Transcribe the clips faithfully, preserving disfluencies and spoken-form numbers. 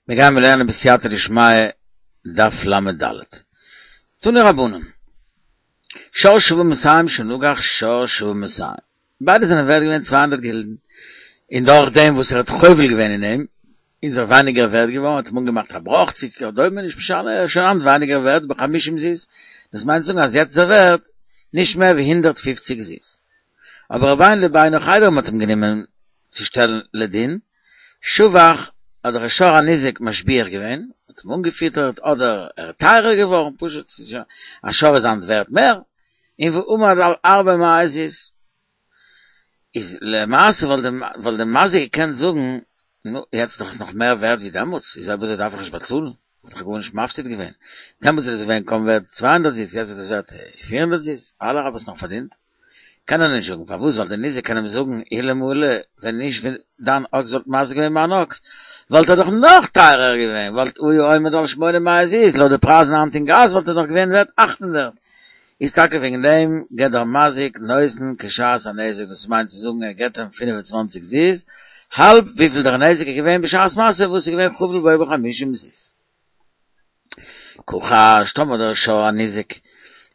מיר גייען מיר לערנען בסייעתא דשמיא דף ל"ד. תנו רבנן. שור שוה מאתים שנגח שור שוה מאתים. ביידע זענען ווערט געווען צוויי הונדערט גילדן. און דורך דעם וואס ער האט חובל געווען אין אים, איז ער ווייניגער ווערט געווארן, האט אים אנגעמאכט א בראך, צו כדומה, נישט משנה, ער איז שוין היינט ווייניגער ווערט בחמישים זוז. דאס מיינט צו זאגן אז יעצט איז ער ווערט נישט מער ווי הונדערט פופציג זוז. אבער ובינו לבינה נאך איידער מ'האט אים גענומען צו שטעלן לדין, שבח האט דער שור הניזק משביח געווען, האט אים אנגעפיטערט אדער ער איז טייערער געווארן, פשוט א שור איז היינט ווערט מער, און ועמד על ארבע מאות זוז. איז למעשה וואלט דער מזיק געקענט זאגן, נו, יעצט איז דאך עס נאך מער ווערט ווי דעמאלטס, איז אויב אזוי דארף איך נישט באצאלן, האב איך גארנישט מפסיד געווען, דעמאלטס איז עס געווען קוים ווערט צוויי הונדערט זוז, יעצט איז עס ווערט פיר הונדערט זוז, אלע האב עס נאך פארדינט. קען ער נישט זאגן פארוואס ווייל דער ניזק קען אים זאגן אלמלא ווען נישט ווען דיין אקס וואלט מזיק געווען מיין אקס וואלט ער דאך נאך טייערער געווען וואלט היה עומד על שמונה מאות זוז לויט די פרייזן היינט אין גאס וואלט ער דאך געווען ווערט אַכט הונדערט איז טאקע וועגן דעם געט דער מזיק נותן כשעת הנזק דאס מיינט צו זאגן ער געט אים פֿינף און צוואַנציק זוז האלב וויפיל דער נזק איז געווען בשעת מעשה וואס איז געווען חבל בו בחמישים זוז. כחש טאמער דער שור הניזק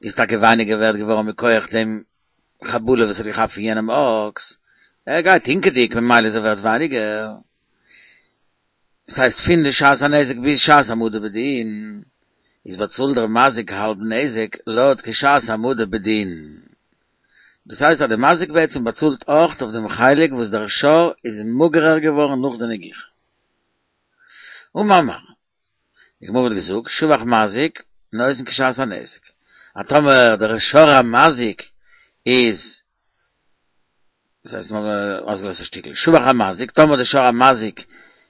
איז טאקע ווייניגער ווערט געווארן מכח דעם חבלה וואס ער האט געכאפט פון יענעם אקס, ער גייט הינקעדיג ממילא איז ער ווערט ווייניגער, דאס הייסט פון די שעת הנזק ביז שעת העמדה בדין איז באצאלט דער מזיק האלב נזק לויט כשעת העמדה בדין, דאס הייסט אז דער מזיק בעצם באצאלט אויך אויף דעם חלק וואס דער שור איז מאגערער געווארן נאך די נגיחה. אמר מר. די גמרא האט געזאגט, שבח מזיק נותן כשעת הנזק. אז טאמער דער שור המזיק איז, דאס הייסט מ'האט אויסגעלאזט א שטיקל, שבח המזיק, טאמער דער שור המזיק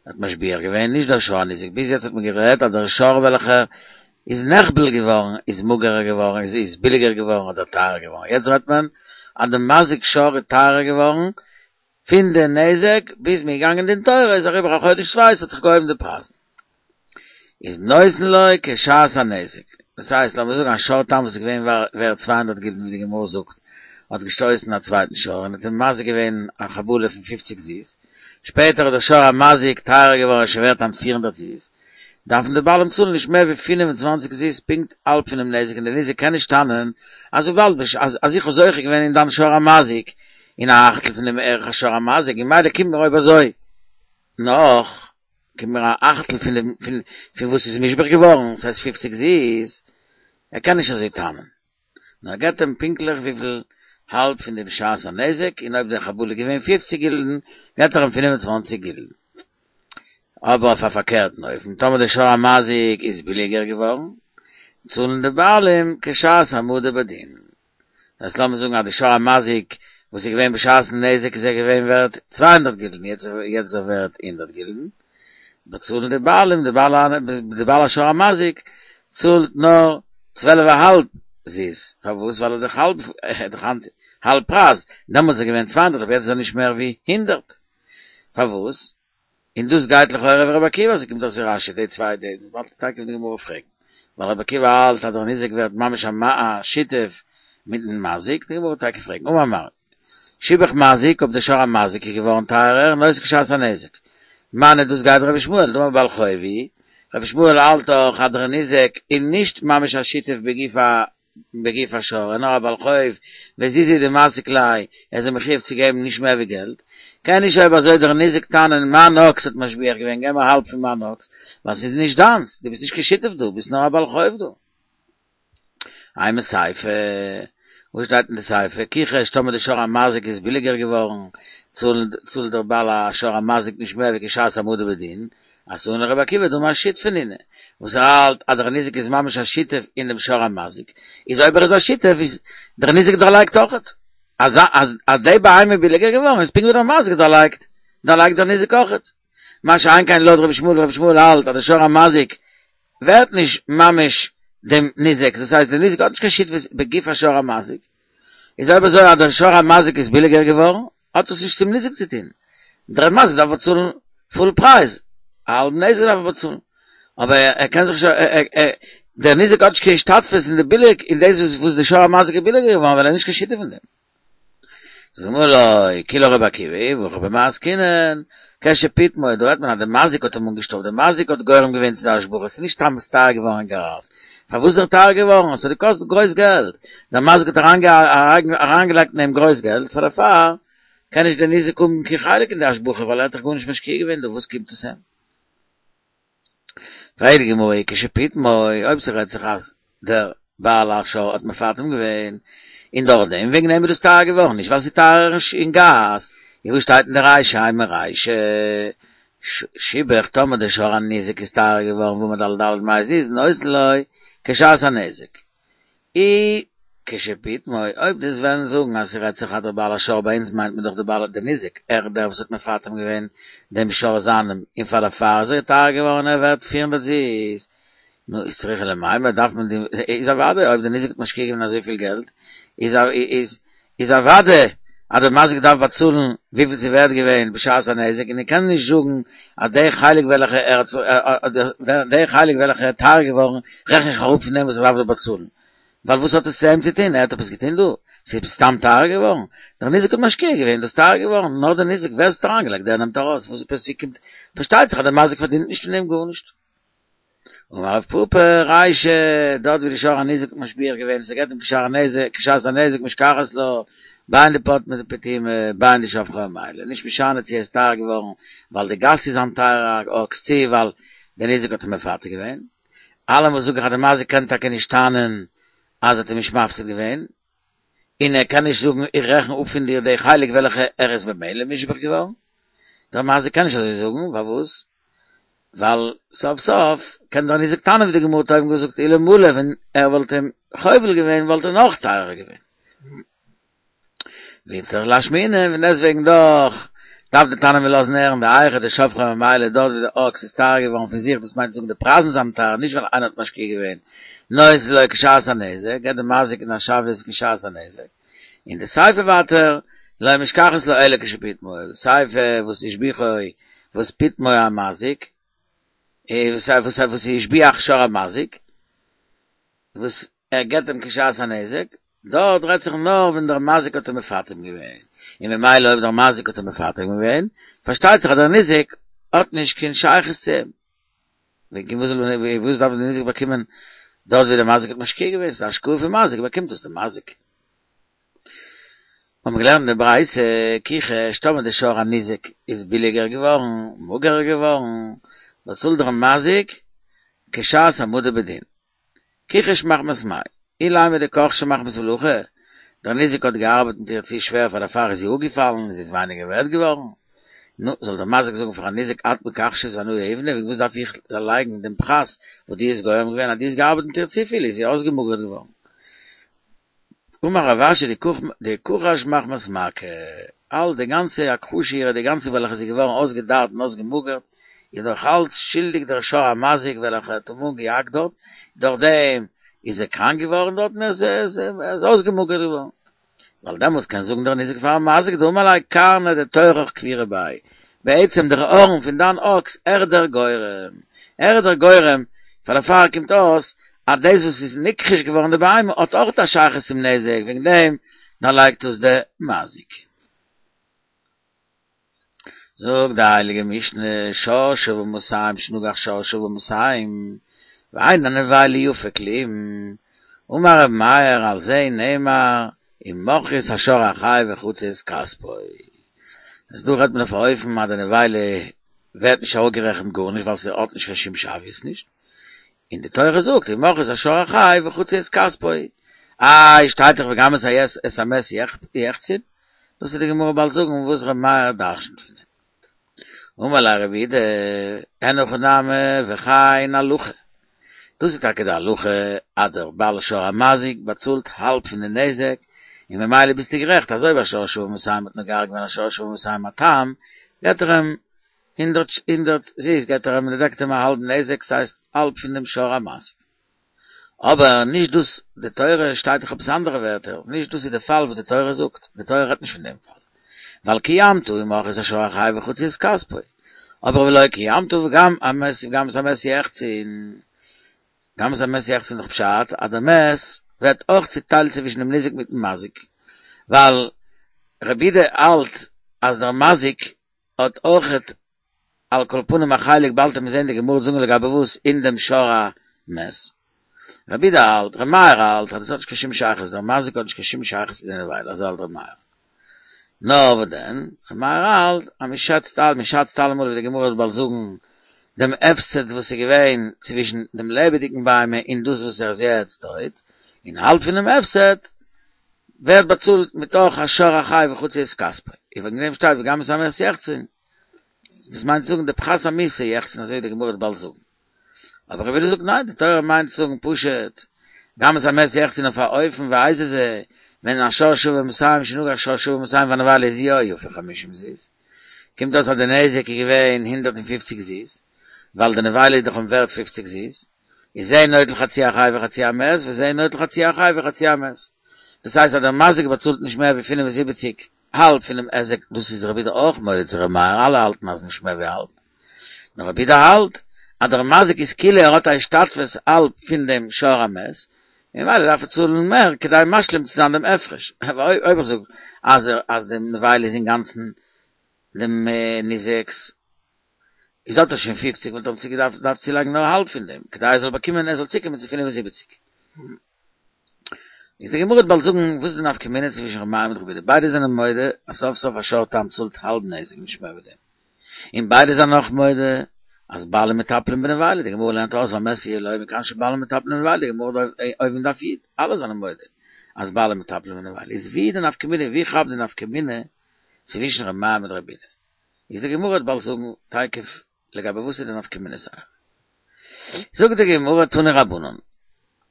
האט משביח געווען, נישט דער שור הניזק, ביז יעצט האט מען גערעדט אז דער שור וועלכער איז נחבל געווארן איז מאגערער געווארן, איז איז ביליגער געווארן אדער טייערער געווארן, יעצט רעדט מען אז דער מזיק שור איז טייערער געווארן פון די נזק ביז מ'איז געגאנגען דין תורה איז אריבער א חודש צוויי ס'האט זיך געהויבן די פרייזן. איז נותן לו כשעת הנזק, דאס הייסט לאמיר זאגן א שור תם וואס איז געווען ווערט צוויי הונדערט גילדן ווי די גמרא זאגט, האט געשטויסן א צווייטן שור און האט אים מזיק געווען א חבלה פון פופציג זוז, שפעטער איז דער שור המזיק טייערער געווארן איז שוין ווערט היינט פֿיר הונדערט זוז, דארפן די בעלים צאלן נישט מער ווי פֿינף און צוואַנציק זוז פונקט האלב פונעם נזק און דער ניזק קען נישט טענה'ן אז וויבאלד אז איך האב זוכה געווען אין דיין שור המזיק אין א אכטל פון דעם ערך השור המזיק און ממילא קומט מיר אויב אזוי נאך קומט מיר א אכטל פון דעם פון פון וואס איז מושבח געווארן ס'הייסט פֿופֿציק זוז ער קען נישט אזוי טענה'ן נאר ער געבט אים פונקטליך וויפיל האלב פון דעם שעת הנזק און אויב דער חבלה איז געווען פֿופֿציק גילדן געבט ער אים פֿינף און צוואַנציק גילדן. אבער אויף א פארקערטן אופן, טאמער דער שור המזיק איז ביליגער געווארן, צאלן די בעלים כשעת העמדה בדין. דאס הייסט לאמיר זאגן אז די שור המזיק וואס איז געווען בשעת'ן נזק איז ער געווען ווערט צוויי הונדערט גילדן, יעצט איז ער ווערט הונדערט גילדן, באצאלן די בעלים, די בעל השור המזיק צאלט נאר צוועלף א האלב זוז, פארוואס? ווייל ער איז דאך האלב, ער איז דאך היינט האלב פרייז, דעמאלטס איז ער געווען צוויי הונדערט אבער יעצט איז ער נישט מער ווי הונדערט, פארוואס? און דאס גייט לכאורה ווי רבי עקיבא, אזוי קומט אויס אין רש"י, די צוויי די וואלט טאקע פון די גמרא פרעגן, ווייל רבי עקיבא האלט אז דער ניזק ווערט ממש א שותף מיטן מזיק, די גמרא וועט טאקע פרעגן, אמר מר. שיבח מזיק, אויב דער שור המזיק איז געווארן טייערער, נותן כשעת הנזק. מני דאס גייט רבי ישמעאל, דאמר בעל חוב הוא, רבי ישמעאל האלט דאך אז דער ניזק איז נישט ממש א שותף בגוף ה בגוף השור, נאר א בעל חוב, וזוזי הוא דמסיק ליה, ער איז אים מחויב צו געבן נישט מער ווי געלט, קען נישט אויב אזוי דער ניזק טענה'ן מיין אקס האט משביח געווען געב מיר האלב פון מיין אקס, ווייל ס'איז נישט דיינס, דו ביסט נישט קיין שותף דא, ביסט נאר א בעל חוב דא. אימא סיפא, וואס שטייט אין די סיפא? כיחש טאמער די שור המזיק איז ביליגער געווארן, צאלט דער בעל השור המזיק נישט מער ווי כשעת העמדה בדין, אתאן לרבי עקיבא דאמר שותפי נינהו, וואס ער האלט אז דער ניזק איז ממש א שותף אין דעם שור המזיק, איז אויב ער איז א שותף איז דער ניזק דערלייגט אויכעט, אז אז די בהמה איז ביליגער געווארן איז פונקט ווי דער מזיק דערלייגט, דערלייגט דער ניזק אויכעט. מה שאין כן לויט רבי ישמעאל, רבי ישמעאל האלט אז דער שור המזיק ווערט נישט ממש דעם ניזק, דאס הייסט דער ניזק האט נישט קיין שותפות בגוף השור המזיק, איז אויב אזוי אז דער שור המזיק איז ביליגער געווארן, האט עס נישט צום ניזק צו טון, דער מזיק דארף באצאלן פול פרייז, א האלבן נזק דארף ער באצאלן, אבער ער קען זיך נישט, דער ניזק האט נישט קיין השתתפות אין די ביליג, אין דאס וואס די שור המזיק איז ביליגער געווארן ווייל ער איז נישט קיין שותף אין דעם. זאגט די גמרא לא, כולה רבי עקיבא, והכא במאי עסקינן, כשפיטמו, דא רעדט מען אז דער מזיק האט אים אנגעשטאפט, דער מזיק האט גורם געווען צו די השבחה, ס'איז נישט סתם טייער געווארן אין גאס. פארוואס איז ער טייער געווארן? עס האט געקאסט גרויס געלט. דער מזיק האט אריינגעלייגט אין אים גרויס געלט, פאר דערפאר קען נישט דער ניזק האבן קיין חלק אין די השבחה, ווייל ער האט דאך גארנישט משקיע געווען דא, וואס קומט עס אים? פרעגט די גמרא, כשפיטמו, אויב ס'רעדט זיך אז דער בעל השור האט מפטם געווען, און דורך דעם וועגן דעם איז דאס טייער געווארן, נישט ווייל ס'איז טייערער אין גאס, און וואס שטייט אין די רישא, אימא רישא, שיבח, טאמער דער שור הניזק איז טייער געווארן ועמד על ד' מאות זוז נותן לו כשעת הנזק. אי כשפיטמו, אויב דו'סט וועלן זאגן אז ס'רעדט זיך אז דער בעל השור ביי אונז מיינט מען דאך דער בעל דער ניזק, ער דער וואס האט מפטם געווען דעם שור זיינעם און פאר דערפאר איז ער טייער געווארן ער ווערט פֿיר הונדערט זוז, נו איז צריכא למימר דארף מען די איז אוודאי אויב דער ניזק האט משקיע געווען אזויפיל געלט איז איז איז אוודאי אז דער מזיק דארף באצאלן וויפיל ס'איז ווערט געווען בשעת הנזק און ער קען נישט זאגן אז דער חלק וועלכע ער האט דער חלק וועלכע ער איז טייער געווארן רעכן איך אראפ פון דעם וואס ער דארף דא באצאלן ווייל וואס האט עס צו אים צו טון ער האט עפעס געטון דא? ס'איז סתם טייער געווארן? דער ניזק האט משקיע געווען דאס טייער געווארן נאר דער ניזק ווער עס האט אריינגעלייגט דער נעמט ארויס וואס עפעס ווי קומט פארשטייט זיך אז דער מזיק פארדינט נישט פון דעם גארנישט. אמר רב פפא, רישא, דארט ווי די שור הניזק האט משביח געווען, ס'געט אים כשער הנזק, כשעת הנזק משכחת לה, בין דפטמיה פטומי, בין דשבחו ממילא, נישט משנה צו ער איז טייער געווארן ווייל די גאס איז א טייערע אקס צו ווייל דער ניזק האט אים מפתה געווען. אלעמאל זאג איך אז דער מזיק קען טאקע נישט טענה'ן אז ער האט אים נישט מפסיד געווען, און ער קען נישט זאגן איך רעכן אפ פון דיר די חלק וועלכע ער איז במילא מושבח געווארן, דער מזיק קען נישט אזוי זאגן, פארוואס? ווייל סוף סוף קען דער ניזק טענה'ן ווי די גמרא האט אויבן געזאגט אלמלא ווען ער וואלט אים חובל געווען וואלט ער נאך טייערער געווען. ואיצטריך לאשמועינן, און דעסטוועגן דאך דארף די תנא מיר לאזן הערן דהיכא דשבחו ממילא דארט ווי די אקס איז טייער געווארן פון זיך דאס מיינט צו זאגן די פרייזן זענען טייער נישט ווייל איינער האט משקיע געווען נותן לו כשעת הנזק געבט די מזיק אין א שוויות כשעת הנזק און די סיפא ווייטער לא משכחת לה אלא כשפיטמו די סיפא וואס השביחו וואס פיטמו המזיק וואס וואס וואס השביח שור המזיק וואס ער געבט אים כשעת הנזק דארט רעדט זיך נאר ווען דער מזיק האט אים מפטם געווען, און ממילא אויב דער מזיק האט אים מפטם געווען, פארשטייט זיך אז דער ניזק האט נישט קיין שייכות צו אים. וועגן וואס זאל וואס דארף דער ניזק באקומען דארט ווי דער מזיק האט משקיע געווען, ס'איז א השקעה פון מזיק, באקומט דאס דער מזיק. האבן מיר געלערנט אין די ברייתא, כיחש, טאמער דער שור הניזק איז ביליגער געווארן, מאגערער געווארן, באצאלט דער מזיק כשעת העמדה בדין. כיחש מחמת מאי? אילימא דכחשה מחמת מלאכה, דער ניזק האט געארבעט מיט איר צו שווער פאר דערפאר איז זי אפגעפאלן און זי איז ווייניגער ווערט געווארן. נו, זאל דער מזיק זאגן פארן ניזק את מכחשת ואנא יהיבנא, וועגן וואס דארף איך דערלייגן דעם פחת וואס דו האסט גורם געווען אז דו האסט געארבעט מיט איר צופיל איז זי אויסגעמאגערט געווארן. אמר רב אשי דכחש מחמת מכה, אל די גאנצע הכחשה אירע די גאנצע וועלכע איז געווארן אויסגעדארט און אויסגעמאגערט, איז נאך אלץ שולדיג דער שור המזיק וועלכע האט אים אנגעהאקט דארט, דורך דעם איז ער קראנק געווארן דארט און ער איז אויסגעמאגערט געווארן. ווייל דעמאלטס קען זאגן דער ניזק פארן מזיק דאמר ליה קרנא דתורך כבירא ביה, בעצם דער הארן פון דיין אקס ער איז דער גורם, ער איז דער גורם, פאר דערפאר קומט אויס אז דאס וואס איז נכחש געווארן די בהמה האט אויך א שייכות צום נזק, וועגן דעם דערלייגט עס דער מזיק. זאגט די הייליגע משנה, שור שוה מאתים שנגח שור שוה מאתים, ואין הנבילה יפה כלום, אמר ר' מאיר על זה נאמר ומכרו את השור החי וחצו את כספו. איז דא רעדט מען אויף א אופן אז די נבילה ווערט נישט אראפגערעכנט גארנישט ווייל ס'האט נישט קיין שום שוויות נישט, און די תורה זאגט ומכרו את השור החי וחצו את כספו, איי שטייט דאך וגם את המת יחצון, דאס וועט די גמרא באלד זאגן וואס ר' מאיר דרש'נט פון דעם. אמר ליה רב יהודה, אין הכי נמי וכן הלכה, דאס איז טאקע די הלכה אז דער בעל שור המזיק באצאלט האלב פון די נזק, און ממילא ביסטו גערעכט אז אויב א שור שוה מאתים האט נוגח געווען א שור שוה מאתים א תם, געט ער אים הונדערט הונדערט זוז געט ער אים און דעקט אים א האלבן נזק, ס'הייסט האלב פון דעם שור המזיק. אבער נישט דאס, די תורה שטייט דאך עפעס אנדערע ווערטער, נישט דאס איז די פאל וואס די תורה זאגט, די תורה רעדט נישט פון דעם פאל, ווייל קיימת ומכרו את השור החי וחצו את כספו, אבער ולא קיימת וגם המת וגם את המת יחצון, גם את המת יחצון איז דאך פשט אז דער מת ווערט אויך צוטיילט צווישן דעם ניזק מיטן מזיק, ווייל רבי יהודה האלט אז דער מזיק האט אויכעט על כל פנים א חלק באלד וועט מען זען די גמרא זאגן לגבי וואס אין דעם שור המת. רבי יהודה האלט, ר' מאיר האלט אז דאס האט נישט קיין שום שייכות, דער מזיק האט נישט קיין שום שייכות צו די נבילה, אזוי האלט ר' מאיר. נאר וואס דען, ר' מאיר האלט אז מען שעצט מען שאצט אלעמאל ווי די גמרא וועט באלד זאגן דעם הפסד וואס איז געווען צווישן דעם לעבעדיגן בהמה און דאס וואס ער איז יעצט טויט, און האלב פונעם הפסד ווערט באצאלט מתוך השור החי וחצי את כספו. און וועגן דעם שטייט וגם את המת יחצון. דאס מיינט צו זאגן די פחת המיתה יחצון אזוי ווי די גמרא וועט באלד זאגן. אבער רבי יהודה זאגט ניין, די תורה מיינט צו זאגן פשוט גם את המת יחצון אויף א אופן ואיזה זה, ווען א שור שוה מאתים שנגח שור שוה מאתים והנבילה איז יא יפה חמישים זוז, קומט אויס אז די נזק איז געווען הונדערט און פופציג זוז, ווייל די נבילה איז דאך ווערט פופציג זוז, איז זה נוטל חצי החי וחצי המת וזה נוטל חצי החי וחצי המת. דאס הייסט אז דער מזיק באצאלט נישט מער ווי פינף און זיבעציק האלב פונעם היזק, דאס איז רבי יהודה אויך מודה צו ר' מאיר, אלע האלטן אז נישט מער ווי האלב, נאר רבי יהודה האלט אז דער מזיק איז כאילו ער האט א השתתפות האלב פון דעם שור המת, און ממילא דארף ער צאלן מער כדי משלים צו זיין דעם הפרש, אבער אויב איך זאג אז אז דעם נבילה איז אינגאנצן דעם ניזק'ס, איז האט ער שוין פופציג וואלט ער צוגעדארפט דארף צולייגן נאר האלב פון דעם כדי ער זאל באקומען ער זאל צוקומען צו פינף און זיבעציק. איז די גמרא וועט באלד זאגן וואס איז די נפקא מינה צווישן ר' מאיר מיט רבי יהודה, ביידע זענען מודה אז סוף סוף א שור תם צאלט האלב נזק נישט מער ווי דעם, און ביידע זענען אויך מודה אז בעלים מטפלים בנבילה, די גמרא לערנט אויס והמת יהיה לו מכאן שבעלים מטפלים בנבילה, די גמרא אויבן אין דף י', אלע זענען מודה אז בעלים מטפלים בנבילה, איז ווי איז די נפקא מינה, ווי כאפט די נפקא מינה צווישן ר' מאיר מיט רבי יהודה? איז די גמרא וועט באלד זאגן תיכף לגבי וואס איז די נפקא מינה זייער. זאגט די גמרא תנו רבנן,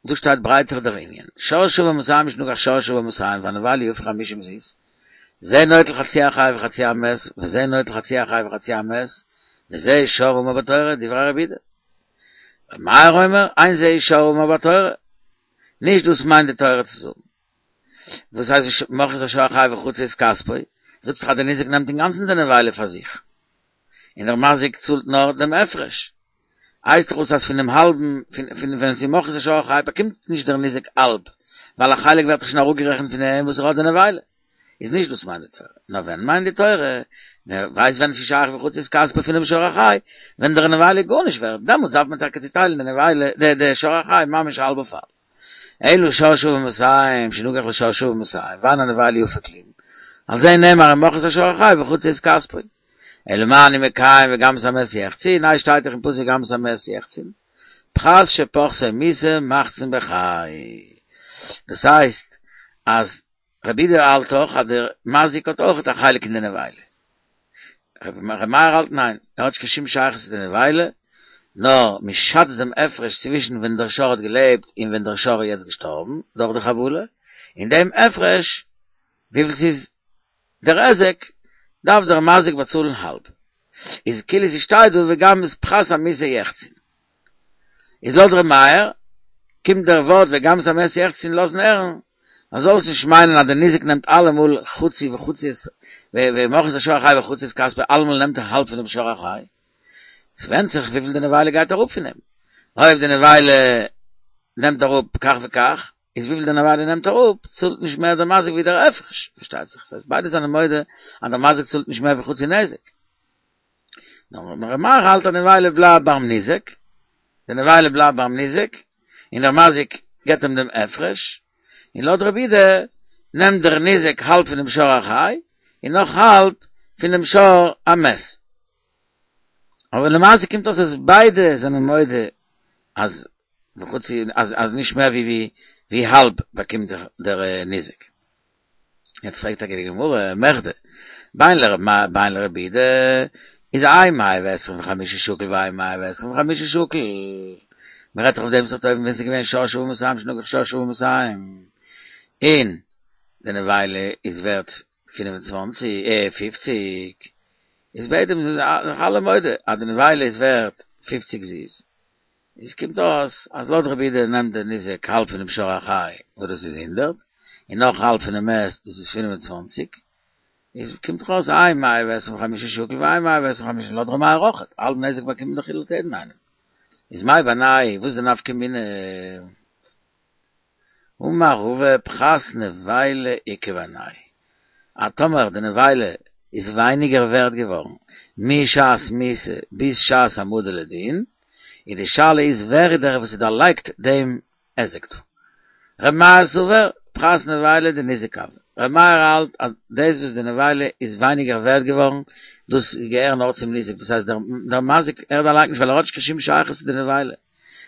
דא שטייט ברייטער דער ענין, שור שוה מאתים שנגח שור שוה מאתים והנבילה יפה חמישים זוז, זה נוטל חצי החי וחצי המת, וזה נוטל חצי החי וחצי המת, וזה שור האמור בתורה, דברי רבי יהודה. ר' מאיר אומר, אין זה שור האמור בתורה, נישט דאס מיינט די תורה צו זאגן. וואס הייסט מכרו את השור החי וחצו את כספו? זאגסט דאך אז דער ניזק נעמט אינגאנצן די נבילה פאר זיך, און דער מזיק צאלט נאר דעם הפרש. הייסט דאך אויס אז פון דעם האלבן, פון ווען ס'איז מכרו את השור החי באקומט נישט דער ניזק האלב, ווייל א חלק ווערט דאך שוין אראפגערעכנט פון דעם וואס ער האט די נבילה. איז נישט דאס מיינט די תורה. נאר ווען מיינט די תורה? מען ווייסט ווען ס'איז שייך וחצו את כספו פונעם שור החי, ווען דער נבילה איז גארנישט ווערט, דעמאלטס דארף מען טאקע צוטיילן די נבילה, די שור החי ממש האלב אויף האלב. אלא שור שוה מאתים שנגח לשור שוה מאתים, ואין הנבילה יפה כלום, על זה נאמר ומכרו את השור החי וחצו את כספו. אלא מה אני מקיים וגם את המת יחצון, איי שטייט דאך אין פסוק וגם את המת יחצון, פחת שפחתו מיתה מחצין בחי. דאס הייסט אז רבי יהודה האלט אויך אז דער מזיק האט אויך א חלק אין די נבילה. רבי מאיר האלט ניין, ער האט נישט קיין שום שייכות צו די נבילה, נאר מען שאצט דעם הפרש צווישן ווען דער שור האט געלעבט און ווען דער שור איז יעצט געשטארבן דורך די חבלה, און דעם הפרש וויפיל ס'איז דער היזק, דארף דער מזיק באצאלן האלב. איז כאילו ס'שטייט דא וגם את פחת המיתה יחצון. איז לויט ר' מאיר, קומט דער ווארט וגם את המת יחצון לאזן הערן, אז זאלסט נישט מיינען אז דער ניזק נעמט אלעמאל חצי וחצו את ומכרו את השור החי וחצו את כספו אלעמאל נעמט ער האלב פונעם שור החי. ס'ווענדט זיך וויפיל די נבילה גייט אראפ פון אים. אויב די נבילה נעמט אראפ כך וכך, איז וויפיל די נבילה נעמט אראפ, צאלט נישט מער דער מזיק ווי דער הפרש, פארשטייט זיך. ס'הייסט ביידע זענען מודה אז דער מזיק צאלט נישט מער ווי חצי נזק. נאר ר' מאיר האלט אז די נבילה בלייבט ביים ניזק, די נבילה בלייבט ביים ניזק, און דער מזיק געבט אים דעם הפרש, און לויט רבי יהודה נעמט דער ניזק האלב פונעם שור החי, און נאך האלב פונעם שור המת. אבער למעשה קומט אויס אז ביידע זענען מודה אז וחצי אז אז נישט מער ווי ווי האלב באקומט דער ניזק. יעצט פרעגט טאקע די גמרא, מכדי, בין לר' מאיר בין לרבי יהודה, איז האי מאה ועשרים וחמשה שקיל והאי מאה ועשרים וחמשה שקיל, מען רעדט דאך אויף דעם סארט אופן ווען ס'איז געווען שור שוה מאתים שנגח שור שוה מאתים, און די נבילה איז ווערט פֿינף און צוואַנציק, אה, פֿופֿציק, איז ביידע זענען זיך אלע מודה אז די נבילה איז ווערט פֿופֿציק זוז, איז קומט אויס אז לויט רבי יהודה נעמט דער ניזק האלב פונעם שור החי וואס דאס איז הונדערט, און נאך האלב פונעם מת דאס איז פֿינף און צוואַנציק, איז קומט דאך אויס האי מאה ועשרים וחמשה שקיל והאי מאה ועשרים וחמשה לויט ר' מאיר אויכעט, האלב נזק באקומט מען דאך לויט יעדן איינעם. איז מאי בינייהו וואס איז די נפקא מינה? אמר רבא פחת נבילה איכא בינייהו, אז טאמער די נבילה איז ווייניגער ווערט געווארן, משעת מיתה ביז שעת העמדה לדין, און די שאלה איז ווער איז דער וואס איז דערלייגט דעם היזק דא. ר' מאיר סבר, פחת נבילה דניזק הוי. ר' מאיר האלט אז דאס וואס די נבילה איז ווייניגער ווערט געווארן, דאס געהער נאר צום ניזק, דאס הייסט דער מזיק ער דערלייגט נישט ווייל ער האט נישט קיין שום שייכות צו די נבילה.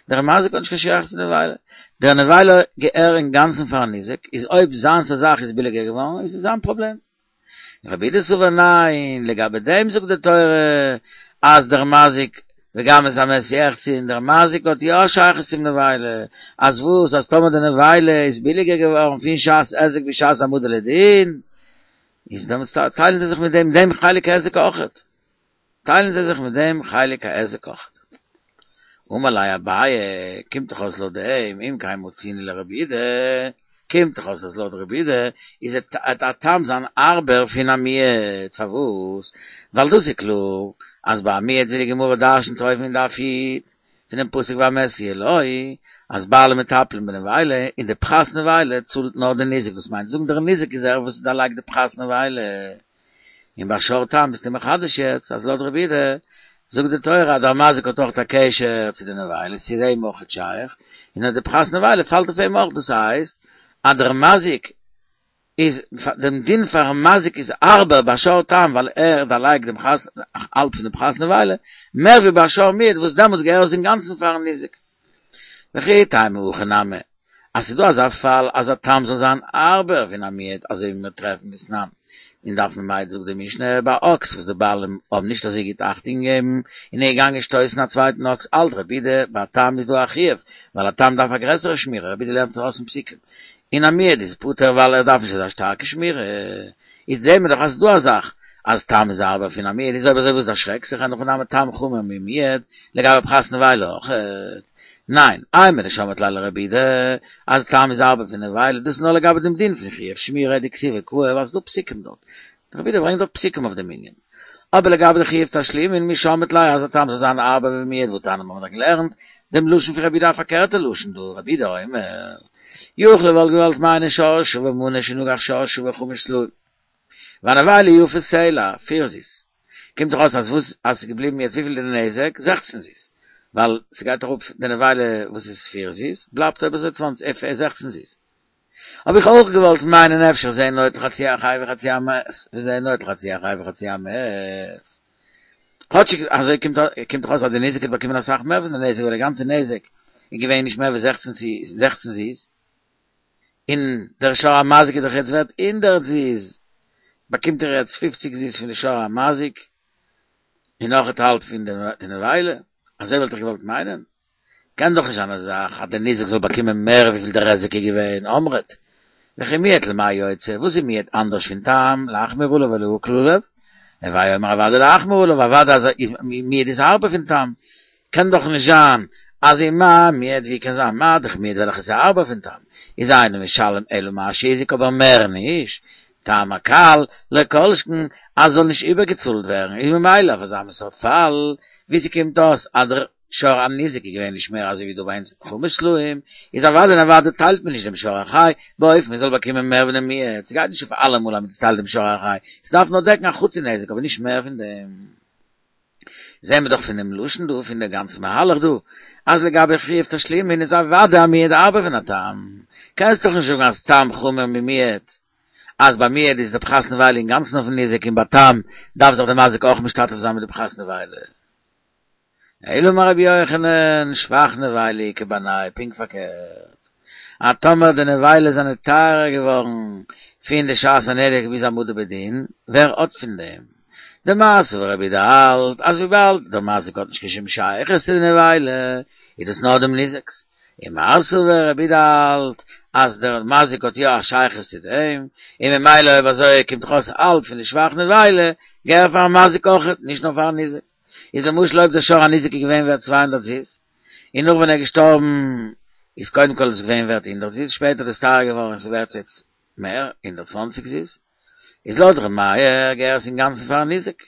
דער מזיק האט נישט קיין שייכות צו די נבילה. דער נבילה געהער אינגאנצן פארן ניזק, איז אויב זיינס א זאך איז ביליגער געווארן איז עס זיין פראבלעם. רבי יהודה סבר ניין, לגבי דעם זאגט די תורה אז דער מזיק וגם את המת יחצון, דער מזיק האט יא א שייכות צום נבילה, אז וואס אז טאמער די נבילה איז ביליגער געווארן פון שעת היזק ביז שעת העמדה לדין, איז דעמאלטס טיילן זיי זיך מיט דעם דעם חלק ההיזק אויכעט. טיילן זיי זיך מיט דעם חלק ההיזק אויכעט. אמר ליה אביי, קומט דאך אויס לויט דעם, אם כן מצינו לרבי יהודה, קומט דאך אויס אז לויט רבי יהודה איז וועט א תם זיין הארבער פון א מועד, פארוואס? ווייל דאס איז קלאר אז ביי א מועד ווי די גמרא דרשנ'ט אויבן אין דף י' פונעם פסוק והמת יהיה לו, אז בעלים מטפלים בנבילה, און די פחת נבילה צאלט נאר די ניזק, דאס מיינט זאגן דער ניזק איז ער וואס דערלייגט די פחת נבילה. און ביי שור תם ביסטו מחדש יעצט אז לויט רבי יהודה זאגט די תורה אז דער מזיק האט אויך א קשר צו די נבילה, ס'איז אים אויכעט שייך, און אז די פחת נבילה פאלט אויף אים אויך, דאס הייסט אז דער מזיק איז, דעם דין פארן מזיק איז הארבער ביי שור תם ווייל ער דערלייגט דעם פחת, האלב פון די פחת נבילה, מער ווי ביי שור מועד וואס דעמאלטס געהער עס אינגאנצן פארן ניזק. וכי תימא הכי נמי, אז ס'איז דא אזא פאל אז א תם זאל זיין הארבער פון א מועד אזוי ווי מיר טרעפן דתנן אין דף מ"ה זאגט די משנה ביי אקס וואס די בעלים האבן נישט אזוי גוט אכטונג געגעבן און ער איז געגאנגען שטויסן א צווייטן אקס האלט רבי יהודה ביי א תם איז דא א חיוב ווייל א תם דארף א גרעסערע שמירה רבי יהודה לערנט עס ארויס פון פסוקים און א מועד איז פטור ווייל ער דארף נישט אזא שטארקע שמירה איז זעהן מיר דאך אז ס'איז דא א זאך אז תם איז הארבער פון א מועד איז אויב אזוי וואס דערשרעקסט זיך אין הכי נמי תם חמור ממועד לגבי פחת נבילה אויכעט ניין, אימר דשמעת ליה לרבי יהודה, אז תם איז הארבער פון נבילה, דאס איז נאר לגבי דעם דין פון חיוב שמירה דכתיב וקאי, ווייל ס'איז דא פסוקים דארט. רבי יהודה ברענגט דארט פסוקים אויף דעם ענין. אבער לגבי די חיוב תשלומין, מי שמעת ליה אז א תם זאל זיין הארבער ווי מועד והתניא האבן מיר דאך געלערנט דעם לשון פון רבי יהודה א פארקערטע לשון דא, רבי יהודה אומר, יכול וואלט געוואלט מיינען שור שוה מנה שנגח שור שוה חמש סלעים. והנבילה יפה סלע, פיר זוז. קומט דאך אויס אז וואס אז ס'איז געבליבן יעצט וויפיל איז די נזק? זעכצן זוז. ווייל ס'גייט אראפ די נבילה וואס איז פיר זוז, בלייבט אויב אזוי צוואנציג זעכצן זוז. האב איך אויך געוואלט מיינען אפשר זה נוטל חצי החי וחצי המת, וזה נוטל חצי החי וחצי המת. כאטשיג אזוי קומט קומט דאך אויס אז די ניזק האט באקומען אסאך מער פון די נזק ווייל די גאנצע נזק איז געווען נישט מער ווי זעכצן זעכצן זוז. און דער שור המזיק איז דאך יעצט ווערט הונדערט זוז, באקומט ער יעצט פופציג זוז פון די שור המזיק, און נאך האלב פון די נבילה, אזוי וואלט איך געוואלט מיינען, קען דאך נישט זיין אזא זאך אז דער ניזק זאל באקומען מער וויפיל דער היזק איז געווען, אמרת, וכי מועד למאי יוצא, וואס איז מועד אנדערש פון תם, להחמיר עליו או להקל עליו, הוי אומר אוודאי להחמיר עליו, אוודאי אז מועד איז הארבער פון תם, קען דאך נישט זיין אז ומה מועד ווי קען זיין מה דאך מועד וועלכע איז הארבער פון תם איז אינו משלם אלא מה שהזיק אבער מער נישט תם הקל לא כל שכן אז זאל נישט איבערגעצאלט ווערן איז ממילא אויף אזא מין סארט פאל ווי ס'קומט אויס אז דער שור הניזק איז געווען נישט מער אזוי ווי דא ביי אונז חמש סלעים איז אוודאי און אוודאי טיילט מען נישט דעם שור החי באופן מ'זאל באקומען מער ווי דעם מועד ס'גייט נישט אויף אלעמאל אז מ'צוטיילט דעם שור החי ס'דארף נאר דעקן א חצי נזק אבער נישט מער פון דעם. זעהן מיר דאך פון דעם לשון דא, פון דעם גאנצן מהלך דא, אז לגבי חיוב תשלומין איז אוודאי א מועד הארבער פון א תם. קענסט דאך נישט זאגן אז תם חמור ממועד, אז ביי מועד איז די פחת נבילה אינגאנצן אויפן ניזק און ביי תם דארף זיך דער מזיק אויך משתתף זיין מיט די פחת נבילה. אלא אמר רבי יוחנן, שבח נבילה איכא בינייהו, פונקט פארקערט. אז טאמער די נבילות זענען טייערער געווארן פון די שעת הנזק ביז העמדה בדין, ווער האט פון דעם? דמר סבר רבי יהודה האלט אז וויבאלד דער מזיק האט נישט קיין שום שייכות צו די נבילה, איז דאס נאר דעם ניזק'ס. ומר סבר רבי יהודה האלט אז דער מזיק האט יא א שייכות צו דעם, און ממילא אויב אזוי קומט דאך אויס האלב פון די שבח נבילה געהער פארן מזיק אויכעט, נישט נאר פארן ניזק. איז למשל אויב דער שור הניזק איז געווען ווערט צוויי הונדערט זוז, און נאך ווען ער איז געשטארבן איז קודם כל עס געווען ווערט הונדערט זוז, שפעטער איז עס טייער געווארן און ס'איז ווערט יעצט מער, הונדערט צוואַנציק זוז, איז לויט ר' מאיר געהער עס אינגאנצן פארן ניזק,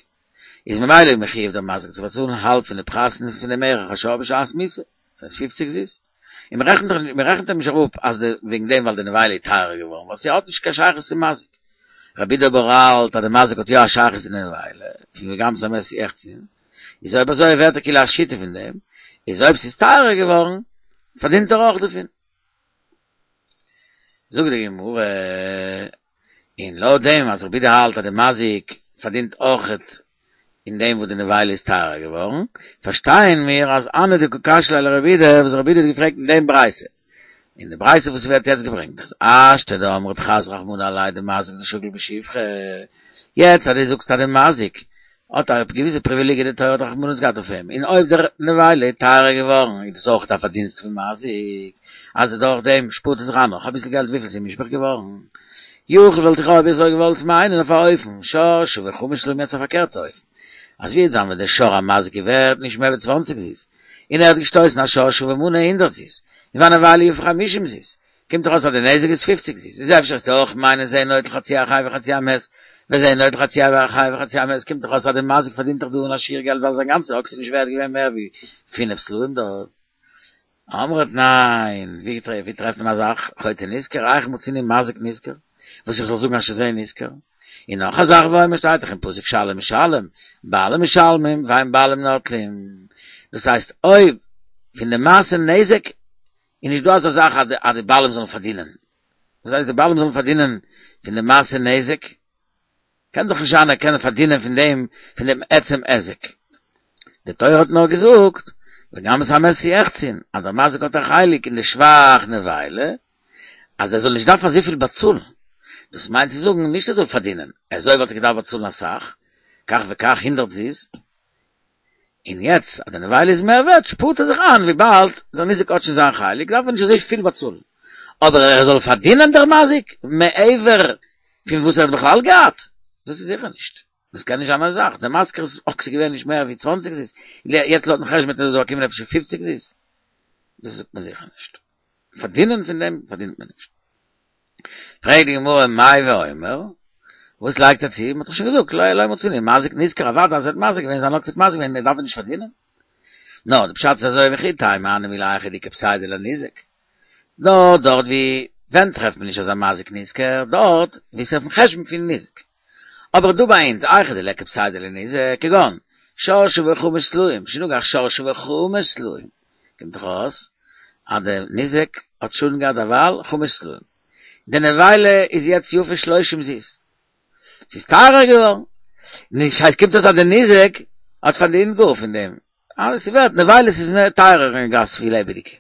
איז ממילא מחויב דער מזיק צו באצאלן האלב פון די פחת פון דעם ערך השור בשעת מיתה, דאס הייסט פֿופֿציק זוז, און מען רעכנט אים נישט אראפ אז די וועגן דעם ווייל די נבילה איז טייערער געווארן, ווייל ס'האט נישט קיין שייכות צום מזיק. רבי יהודה אבער האלט אז דער מזיק האט יא א שייכות אין נבילה, פון וגם את המת יחצין, איז אויב אזוי ווערט ער כאילו א שותף אין דעם, איז אויב ס'איז טייערער געווארן, פארדינט ער אויך דערפון. זאגט די גמרא, און לויט דעם אז רבי יהודה האלט אז די מזיק פארדינט אויכעט אין דעם וואס די נבילה איז טייערער געווארן, פארשטייען מיר אז הני דקא קשיא ליה לרבי יהודה וואס רבי יהודה האט געפרעגט אין דעם ברייתא, אין די ברייתא וואס ווערט יעצט געברענגט אז השתא דאמרת חס רחמנא עליה דמזיק דשקיל בשבחא, יעצט אז דו זאגסט אז די מזיק האט א געוויסע פריוויליגיע די תורה האט רחמנות געהאט אויף אים, און אויב דער נבילה איז טייערער געווארן איז דאס אויך א פארדינסט פון מזיק, אז דורך דעם שפארט ער זיך איין נאך אביסל געלט וויפיל ס'איז מושבח געווארן. יכול וואלט איך אויב אזוי געוואלט מיינען אויף א אופן, שור שוה חמש סלעים יעצט א פארקערטע אופן, אז ווי זאגן מיר דער שור המזיק איז ווערט נישט מער ווי צוואנציג זוז, און ער האט געשטויסן א שור שוה מנה הונדערט זוז, און והנבילה יפה חמישים זוז, קומט דאך אויס אז די נזק איז פופציג זוז, איז אפשר וועסטו אויך מיינען זה נוטל חצי החי וחצי המת, וזה נוטל חצי החי וחצי המת, קומט דאך אויס אז די מזיק פארדינט דאך דא אן א שיעור געלט ווייל זיין גאנצע אקס איז נישט ווערט געווען מער ווי פינף סלעים דארט. אמרת ניין, ווי טרעפט מען אזא זאך, חוטא נשכר, היכא מצינו מזיק נשכר, וואס איך זאל זאגן אז שזה נשכר? און נאך א זאך ואומר שטייט דאך אין פסוק שלם משלם, בעלים משלמים ואין בעלים נוטלים, דאס הייסט אויב פון די מעשה נזק איז נישט דא אזא זאך אז די בעלים זאלן פארדינען, וואס הייסט די בעלים זאלן פארדינען פון די מעשה נזק? קען דאך נישט זיין ער קען פארדינען פון דעם פון דעם עצם היזק. די תורה האט נאר געזאגט וגם את המת יחצין אז דער מזיק האט א חלק אין די שבח נבילה אז ער זאל נישט דארפן אזויפיל באצאלן, דאס מיינט צו זאגן נישט ער זאל פארדינען, אזוי וואלט ער געדארפט באצאלן אסאך, כך וכך הונדערט זוז, און יעצט אז די נבילה איז מער ווערט שפארט ער זיך איין וויבאלד דער ניזק האט שוין זיין חלק דארף ער נישט אזוי פיל באצאלן, אבער ער זאל פארדינען דער מזיק מעבר פון וואס ער האט בכלל געהאט, דאס איז זיכער נישט, דאס קען נישט זיין א זאך, דער מזיק'ס אקס איז געווען נישט מער ווי צוואַנציק זוז, יעצט לויטן חשבון וועט ער דא באקומען אפשר פֿופֿציק זוז, דאס זאגט מען זיכער נישט, פארדינען פון דעם פארדינט מען נישט. פרעגט די גמרא מאי ואומר, וואס לייגט ער צו, מען האט דאך שוין געזאגט לא לא מצינו מזיק נשכר אוודאי אז ער האט מזיק געווען זיין אקס האט מזיק געווען ער דארף נישט פארדינען, נאר די פשט איז אזוי וכי תימא הני מילי היכא דאיכא פסידא לניזק, נאר דארט ווי ווען טרעפט מען נישט אזא מזיק נשכר, דארט ווי ס'איז אויפן חשבון פון ניזק. אבער דא ביי אונז היכא דליכא פסידא לניזק, כגון שור שוה חמש סלעים, שנגח שור שוה חמש סלעים, קומט דאך אויס אז די ניזק האט שאדן געהאט דערווייל חמש סלעים, די נבילה איז יעצט יפה שלושים זוז, ס'איז טייערער געווארן, נישט הייסט קומט אויס אז די ניזק האט פארדינט גאר פון דעם, אלעס איז ווערט, נבילות איז מער טייערער אין גאס ווי לעבעדיגע.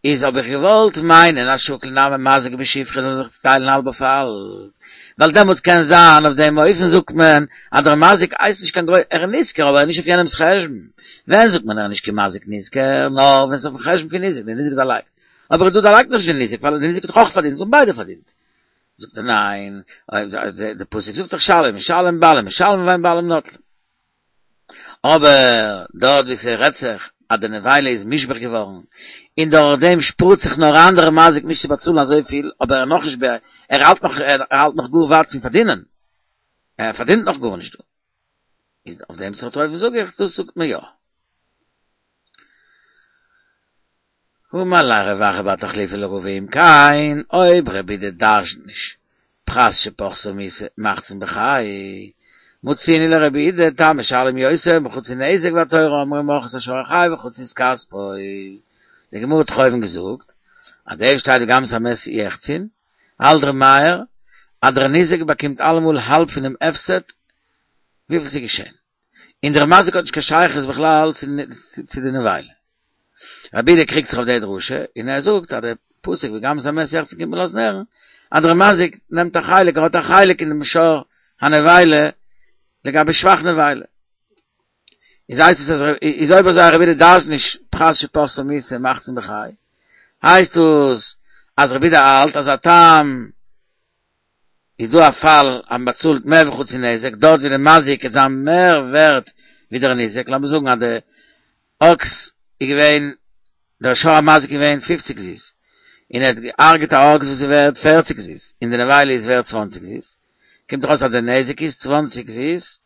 איז האב איך געוואלט מיינען אז שקיל נמי מזיק בשבחא זאל זיך צוטיילן האלב אויף האלב, ווייל דעמאלטס קען זיין אויף דעם אופן זאגט מען אז דער מזיק הייסט נישט קיין גרויס, ער איז נשכר אבער ער איז נישט אויף יענעמס חשבון, ווען זאגט מען ער איז נישט קיין מזיק נשכר, נאר ווען ס'איז אויפן חשבון פון ניזק, דער ניזק דערלייגט, אבער דא דערלייגט נישט דער ניזק ווייל דער ניזק האט דאך אויך פארדינט, זיי האבן ביידע פארדינט. זאגט ער ניין, די פסוק זאגט דאך שלם משלם בעלים משלמים ואין בעלים נוטלים. אבער דארט ווי ס'רעדט זיך אז די נבילה איז מושבח געווארן, און דורך דעם שפארט זיך נאר איין דער מזיק נישט צו באצאלן אזויפיל, אבער ער נאכנישט ב ער האלט נאך ער האלט נאך גאר ווייט פון פארדינען, ער פארדינט נאך גארנישט דא. איז אויף דעם סארט אופן זאג איך, דאס זאגט מען יא. אמר ליה רב אחא בר תחליפא לרבא אם כן, אויב רבי יהודה דרש'נט נישט פחת שפחתה מיתה מחצין בחי, מצינו לרבי יהודה תם משלם יותר מחצי נזק והתורה אמרה ומכרו את השור החי וחצו את כספו. די גמרא האט דאך אויבן געזאגט אז דער שטייט וגם את המת יחצין, האלט ר' מאיר אז דער ניזק באקומט אלעמאל האלב פונעם הפסד וויפיל ס'איז געשען. און דער מזיק האט נישט קיין שייכות בכלל צו די נבילה. רבי יהודה קריגט זיך אויף די דרשה, און ער זאגט אז דער פסוק וגם את המת יחצין קומט מען לאזן הערן, אז דער מזיק נעמט א חלק, ער האט א חלק אין דעם שור הנבילה לגבי שבח נבילה. איז הייסט עס אז איז אויב אזוי רבי יהודה דרש'נט נישט פחת שפחתה מיתה מחצין בחי, הייסט עס אז רבי יהודה האלט אז א תם איז דא א פאל אז מען באצאלט מער ווי חצי נזק, דארט ווי די מזיק וועט זיין מער ווערט ווי דער ניזק, לאמיר זאגן אז די אקס איז געווען, דער שור המזיק איז געווען פֿופֿציק זוז, און ער האט געהארגעט א אקס וואס איז ווערט פֿערציק זוז, און די נבילה איז ווערט צוואַנציק זוז, קומט דאך אויס אז די נזק איז צוואַנציק זוז,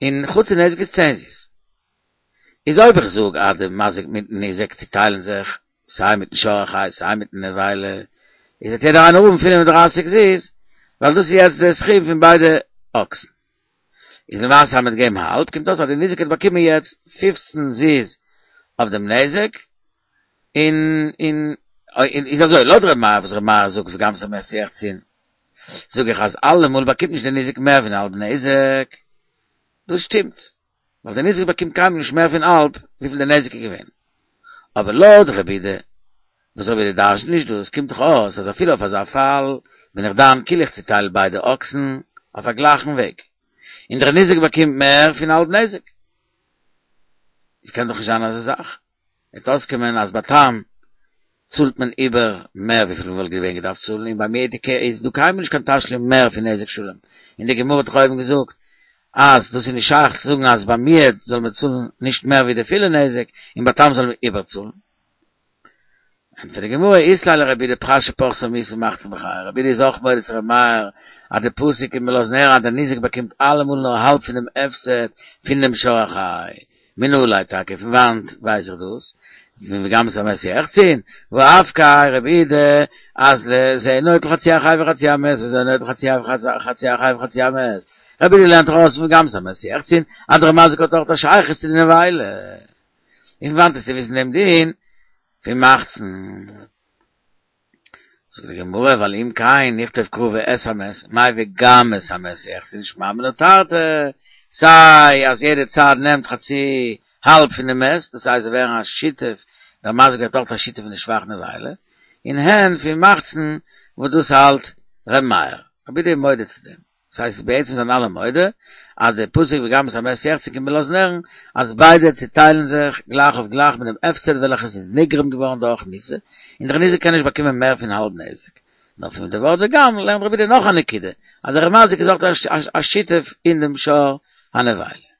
און חצי נזק איז צען זוז. איז אויב איך זאג אז די מזיק מיטן ניזק צוטיילן זיך סיי מיטן שור החי סיי מיטן נבילה, איז וועט יעדער איינער האבן פֿינף און דרײַסיק זוז, ווייל דאס איז יעצט דער סכום פון ביידע אקסן. איז למעשה אז מ'האט געגעבן האלב, קומט אויס אז דער ניזק האט באקומען יעצט פֿופֿצן זוז אויף דעם נזק, און און און איז אזוי, לויט ר' מאיר וואס ר' מאיר זאגט וגם את המת יחצון, זאג איך אז אלעמאל באקומט נישט דער ניזק מער פון האלב נזק, דאס שטימט, ווייל דער ניזק באקומט קיינמאל נישט מער פון האלב וויפיל דער נזק איז געווען. אבער לויט רבי יהודה, וואס רבי יהודה דרש'נט נישט דאס, קומט דאך אויס אז אפילו אויף אזא פאל בין איך דן כאילו איך צוטייל ביידע אקסן אויף א גלייכן וועג, און דער ניזק באקומט מער פון האלב נזק. עס קען דאך נישט זיין אזא זאך. וועט אויסקומען אז ביי תם צאלט מען איבער מער וויפיל מען וואלט געווען געדארפט צאלן, און ביי מועד איז דא קיינמאל נישט קיין תשלום מער פון נזק שלם, און די גמרא האט דאך אויבן געזאגט אז דאס איז נישט שייך צו זאגן אז ביי מועד זאל מען צאלן נישט מער ווי די פולע נזק, און ביי תם זאל מען איבערצאלן. ענטפערט די גמרא, אית ליה לרבי יהודה פחת שפחתה מיתה מחצין בחיי, רבי יהודה איז אויך מודה צו רבי מאיר אז די פסוק קומט מיר לאזן הערן אז דער ניזק באקומט אלעמאל נאר האלב פון דעם הפסד פון דעם שור החי, מנא ליה טאקע פון וואנט ווייס איך דאס? פון וגם את המת יחצון, והא אפקיה רבי יהודה אז זה נוטל חצי החי וחצי המת וזה נוטל חצי החי וחצי המת, רבי יהודה לערנט ארויס פון וגם את המת יחצון אז דער מזיק האט אויך א שייכות צו די נבילה, און פון וואנט וועסטו וויסן דעם דין פון מחצין? זאגט די גמרא ווייל אם כן נכתוב קרא ואת המת, מאי וגם את המת יחצון שמע מינה תרתי, סיי אז יעדע צד נעמט חצי האלב פון די מת, דאס הייסט זיי ווערן א שותף, דער מזיק ווערט אויך א שותף אין די שבח נבילה, און הן פון מחצין וואס דאס האלט ר' מאיר, רבי יהודה איז מודה צו דעם. דאס הייסט בעצם זענען אלע מודה אז די פסוק וגם את המת יחצון קומט מיר לאזן הערן אז ביידע צוטיילן זיך גלייך אויף גלייך מיט דעם הפסד וועלכעס איז נגרם געווארן דורך מיתה, און דער ניזק קען נישט באקומען מער פון האלב נזק. נאר פון די ווארט וגם לערנט רבי יהודה נאך א נקודה, אז דער מזיק איז אויך א שותף אין דעם שור הנבילה.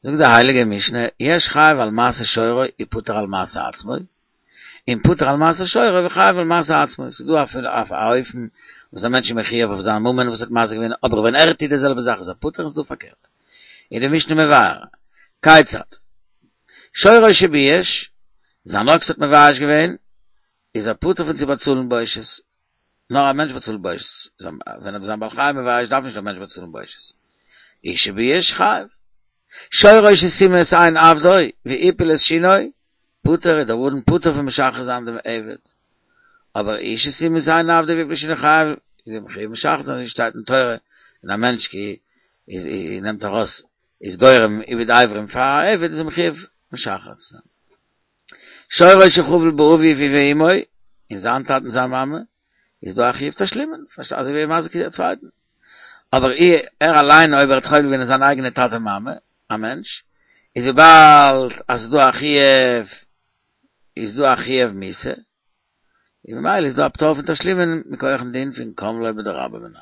זאגט די הייליגע משנה, יש חייב על מעשה שורו ופטור על מעשה עצמו, און פטור על מעשה שורו וחייב על מעשה עצמו, ס'איז דא אפילו אויף א אופן וואס א מענטש איז מחויב אויף זיין ממון וואס האט מזיק געווען, אבער ווען ער טוט די זעלבע זאך איז ער פטור, און ס'איז דא פארקערט. איז די משנה מבאר, כיצד? שורו שבייש, זיין אקס האט מבייש געווען, איז ער פטור פון צו באצאלן בושת, נאר א מענטש באצאלט בושת, ווען ער איז א בעל חי מבייש דארף נישט דער מענטש באצאלן בושת. איש שבייש חייב. שורו שסימא את עין עבדו והפיל את שינו, פטור איז דער אדון פטור פון משחרר זיין דעם עבד. אבער איש שסימא את עין עבדו והפיל את שינו חייב, איז ער מחויב משחרר זיין, אזוי שטייט אין תורה, ווען א מענטש כי איז נעמט ארויס איז גורם איבוד אברים פאר א עבד איז ער מחויב משחרר צו זיין. שורו שחבל באביו ובאמו, אין זיין טאטן און זיין מאמע, איז דא א חיוב תשלומין, פארשטייט אזוי ווי מזיק א צווייטן. אבער ער אליין אויב ער האט חובל געווען אין זיין אייגענע טאטע מאמע, א מענטש, איז וויבאלד אז ס'איז דא א חיוב, איז דא א חיוב מיתה, און ממילא איז דא א פטור פון תשלומין מכוח'ן דין פון קם ליה בדרבה מיניה.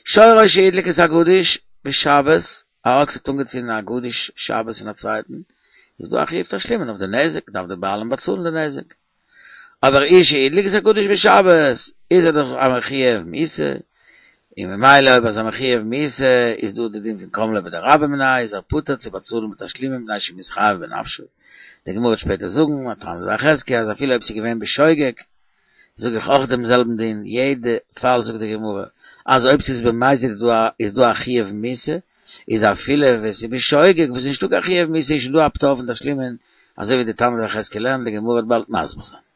שורו שהדליק את הגדיש בשבת, א אקס האט אנגעצינדן א גדיש שבת פון א צווייטן, איז דא א חיוב תשלומין אויף די נזק, דארף דער בעלים באצאלן די נזק. אבער איש שהדליק את הגדיש בשבת, איז ער דאך א מחויב מיתה, און ממילא אויב ער איז א מחויב מיתה, איז דא די דין פון קם ליה בדרבה מיניה, איז ער פטור צו באצאלן בתשלומין מפני שמתחייב בנפשו. די גמרא וועט שפעטער זאגן, א תנא דבי חזקיה, אז אפילו אויב ס'איז געווען בשוגג, זאג איך אויך דעם זעלבן דין, יעדע פאל זאגט די גמרא אז אויב ס'איז במזיד איז דא איז דא א חיוב מיתה, איז אפילו ווען ס'איז בשוגג וואס איז נישטא קיין חיוב מיתה איז שוין דא א פטור פון תשלומין, אזוי ווי די תנא דבי חזקיה לערנט, די גמרא וועט באלד מסביר זיין.